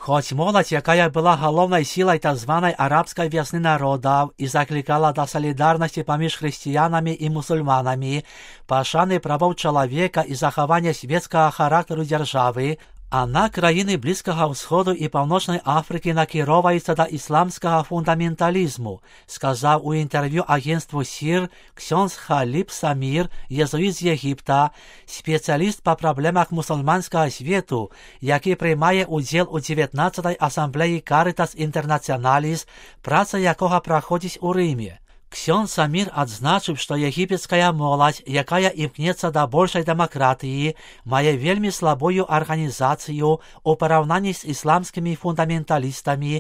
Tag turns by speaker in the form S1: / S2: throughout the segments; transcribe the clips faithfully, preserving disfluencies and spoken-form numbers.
S1: Хоць моладзь, якая была галоўнай сілай так званай арабскай вясны народаў і заклікала да салідарнасці паміж хрысціянамі і мусульманамі, пашаны правоў чалавека і захавання свецкага характару дзяржавы, а на краіны Блізкага ўсходу і Паўночнай Афрыкі накіроўваецца да ісламскага фундаменталізму, сказаў у інтэрв'ю агенцтву СІР ксёндз Халіб Самір, езуіт з Егіпта, спецыяліст па праблемах мусульманскага свету, які прымае ўдзел у дзевятнаццатай асамблеі Карытас Інтэрнацыяналіс, праца якога праходзіць у Рыме. Ксёндз Самір адзначыў, што егіпецкая моладзь, якая імкнецца да большай дэмакратыі, мае вельмі слабую арганізацыю ў параўнанні з ісламскімі фундаменталістамі,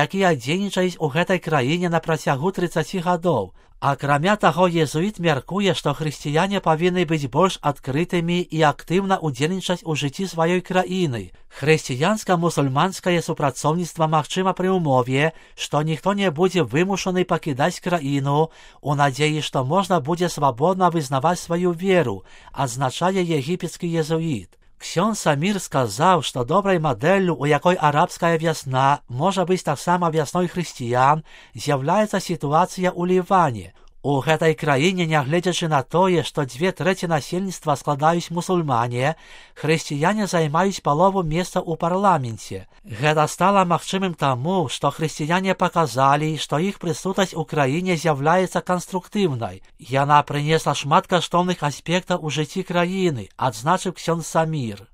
S1: якія дзейнічаюць у гэтай краіне на працягу трыццаці гадоў. Акрамя таго, езуіт мяркуе, што хрысціяне павінны быць больш адкрытымі і актыўна ўдзельнічаць у жыцці сваёй краіны. Хрысціянска-мусульманскае супрацоўніцтва магчыма пры ўмове, што ніхто не будзе вымушаны пакідаць краіну у надзеі, што можна будзе свабодна вызнаваць сваю веру, адзначае егіпецкі езуіт. Ксёндз Самір сказаў, што добрай мадэллю, у якой арабская вясна можа быць таксама вясной хрысціян, з'яўляецца сітуацыя ў Ліване. У гэтай краіне, нягледзячы на тое, што дзве трэці насельніцтва складаюць мусульмане, хрысціяне займаюць палову месца ў парламенце. Гэта стала магчымым таму, што хрысціяне паказалі, што іх прысутнасць у краіне з'яўляецца канструктыўнай. Яна прынесла шмат каштоўных аспектаў у жыцці краіны, адзначыў ксёндз Самір.